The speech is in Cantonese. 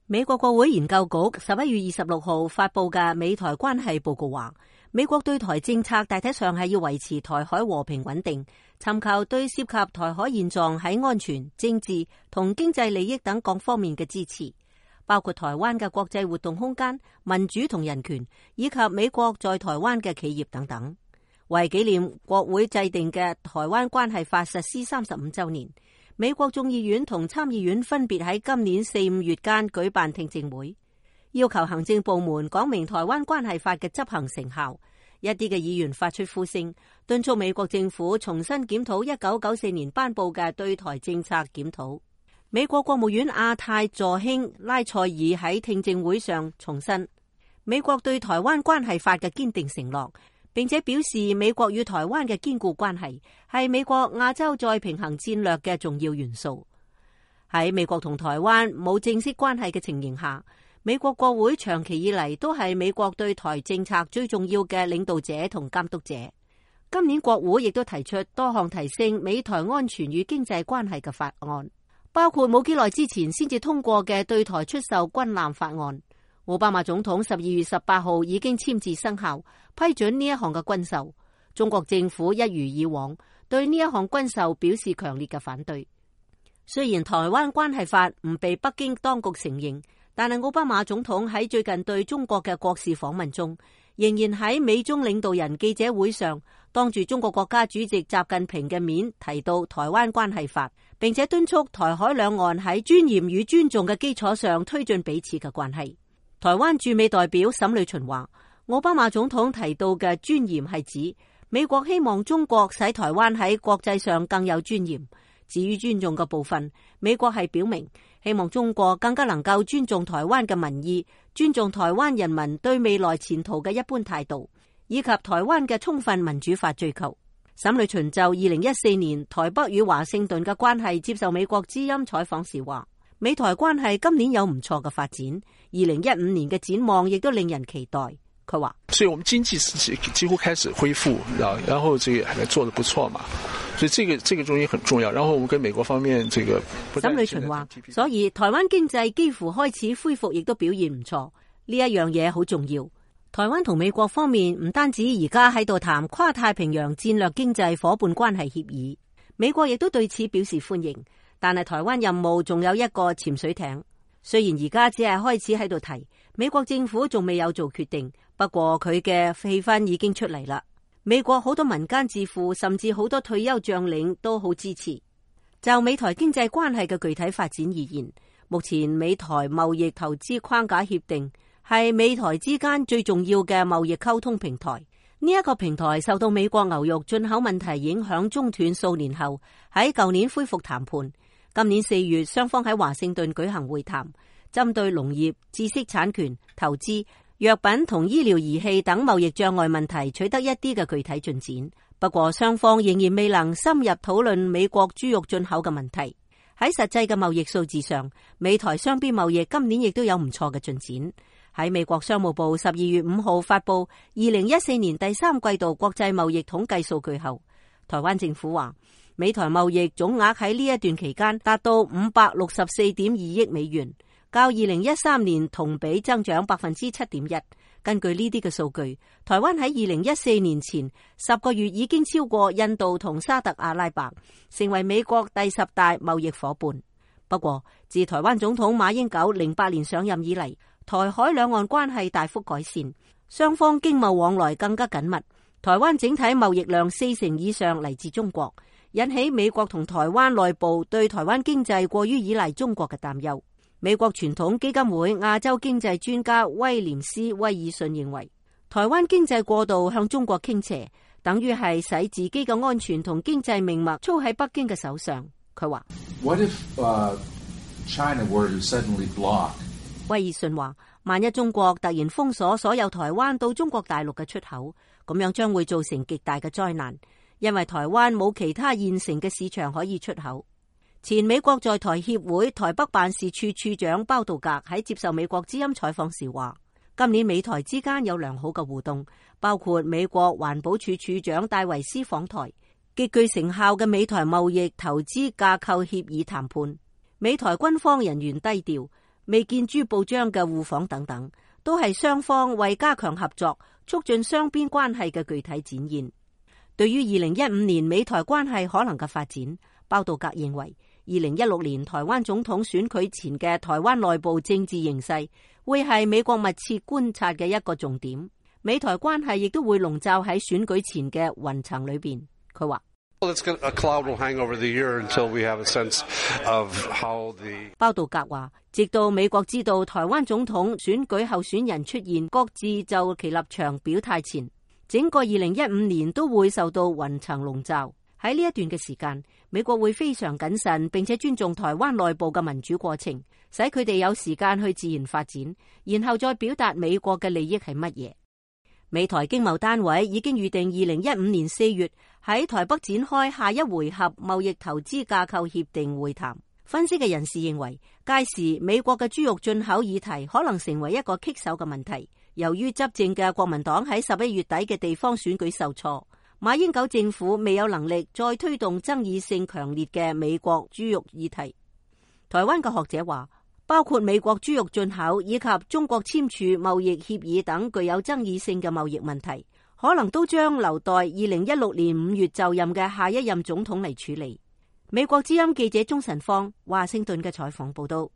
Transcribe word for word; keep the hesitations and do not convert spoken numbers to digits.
美國國會研究局十一月二十六號發佈嘅美台關係報告話，美國對台政策大體上係要維持台海和平穩定，尋求對涉及台海現狀喺安全、政治同經濟利益等各方面嘅支持，包括台灣嘅國際活動空間、民主同人權，以及美國在台灣嘅企業等等。為紀念國會制定嘅台灣關係法實施三十五週年，美國眾議院同參議院分別喺今年四五月間舉辦聽證會，要求行政部門講明台灣關係法嘅執行成效。一啲嘅議員發出呼聲，敦促美國政府重新檢討一九九四年頒布嘅對台政策檢討。美國國務院亞太助卿拉塞爾喺聽證會上重申美國對台灣關係法嘅堅定承諾，並且表示美國與台灣嘅堅固關係係美國亞洲再平衡戰略嘅重要元素。喺美國同台灣冇正式關係嘅情形下，美國國會長期以嚟都係美國對台政策最重要嘅領導者同監督者。今年國會亦都提出多項提升美台安全與經濟關係嘅法案，包括冇幾耐之前先至通過嘅對台出售軍艦法案。奧巴馬總統十二月十八號已經簽字生效，批准呢一項嘅軍售。中國政府一如以往對呢一項軍售表示強烈嘅反對。雖然台灣關係法唔被北京當局承認，但係奧巴馬總統喺最近對中國嘅國事訪問中，仍然喺美中領導人記者會上當住中國國家主席習近平嘅面提到台灣關係法，並且敦促台海兩岸喺尊嚴與尊重嘅基礎上推進彼此嘅關係。台灣駐美代表沈呂巡話，奧巴馬總統提到嘅尊嚴係指美國希望中國使台灣喺國際上更有尊嚴。至於尊重嘅部分，美國係表明希望中國更加能夠尊重台灣嘅民意，尊重台灣人民對未來前途嘅一般態度，以及台灣嘅充分民主化追求。沈呂巡就二零一四年台北與華盛頓嘅關係接受美國之音採訪時話，美台關係今年有唔錯嘅發展，二零一五年嘅展望亦都令人期待。佢話，所以我們經濟是幾乎開始恢復，然後這個還做得不錯嘛，所以這個這個中間很重要。然後我們跟美國方面這個沈呂巡話，所以台灣經濟幾乎開始恢復，亦都表現唔錯，呢一樣嘢好重要。台灣同美國方面唔單止而家喺度談跨太平洋戰略經濟夥伴關係協議，美國亦都對此表示歡迎。但係台灣任務仲有一個潛水艇，雖然而家只係開始喺度提，美國政府仲未有做決定，不過佢嘅氣氛已經出嚟啦。美國好多民間智庫甚至好多退休將領都好支持。就美台經濟關係嘅具體發展而言，目前美台貿易投資框架協定係美台之間最重要嘅貿易溝通平台。呢一個平台受到美國牛肉進口問題影響中斷數年後，喺舊年恢復談判。今年四月，雙方喺華盛頓舉行會談，針對農業、知識產權、投資、藥品同醫療儀器等貿易障礙問題取得一啲嘅具體進展。不過，雙方仍然未能深入討論美國豬肉進口嘅問題。喺實際嘅貿易數字上，美台雙邊貿易今年亦都有唔錯嘅進展。喺美國商務部十二月五號發布二零一四年第三季度國際貿易統計數據後，台灣政府話，美台貿易總額喺呢一段期間達到五百六十四點二億美元，較二零一三年同比增長百分之七點一。根據呢啲嘅數據，台灣喺二零一四年前十個月已經超過印度同沙特阿拉伯，成為美國第十大貿易夥伴。不過，自台灣總統馬英九零八年上任以嚟，台海兩岸關係大幅改善，雙方經貿往來更加緊密。台灣整體貿易量四成以上嚟自中國，引起美國同台灣內部對台灣經濟過於依賴中國嘅擔憂。美國傳統基金會亞洲經濟專家威廉斯·威爾遜認為，台灣經濟過度向中國傾斜，等於係使自己嘅安全同經濟命脈操喺北京嘅手上。佢話：What if, uh, China were to suddenly block? 威爾遜話：萬一中國突然封鎖所有台灣到中國大陸嘅出口，咁樣將會造成極大嘅災難，因為台灣冇其他現成嘅市場可以出口。前美國在台協會台北辦事處處長包道格喺接受美國之音採訪時話：今年美台之間有良好嘅互動，包括美國環保署署長戴維斯訪台，極具成效嘅美台貿易投資架構協議談判。美台軍方人員低調。未見諸報章嘅互訪等等，都係雙方為加強合作、促進雙邊關係嘅具體展現。對於二零一五年美台關係可能嘅發展，包道格認為，二零一六年台灣總統選舉前嘅台灣內部政治形勢會係美國密切觀察嘅一個重點。美台關係亦都會籠罩喺選舉前嘅雲層裏邊。佢話：包道格話，直到美國知道台灣總統選舉候選人出現，各自就其立場表態前，整個二零一五年都會受到雲層籠罩。喺呢一段嘅時間，美國會非常謹慎，並且尊重台灣內部嘅民主過程，使佢哋有時間去自然發展，然後再表達美國嘅利益係乜嘢。美台經貿單位已經預定二零一五年四月喺台北展開下一回合貿易投資架構協定會談。分析嘅人士認為，屆時美國嘅豬肉進口議題可能成為一個棘手嘅問題。由於執政嘅國民黨喺十一月底嘅地方選舉受挫，馬英九政府未有能力再推動爭議性強烈嘅美國豬肉議題。台灣嘅學者話，包括美國豬肉進口以及中國簽署貿易協議等具有爭議性嘅貿易問題，可能都將留待二零一六年五月就任嘅下一任總統嚟處理。美國之音記者鍾晨芳華盛頓嘅採訪報道。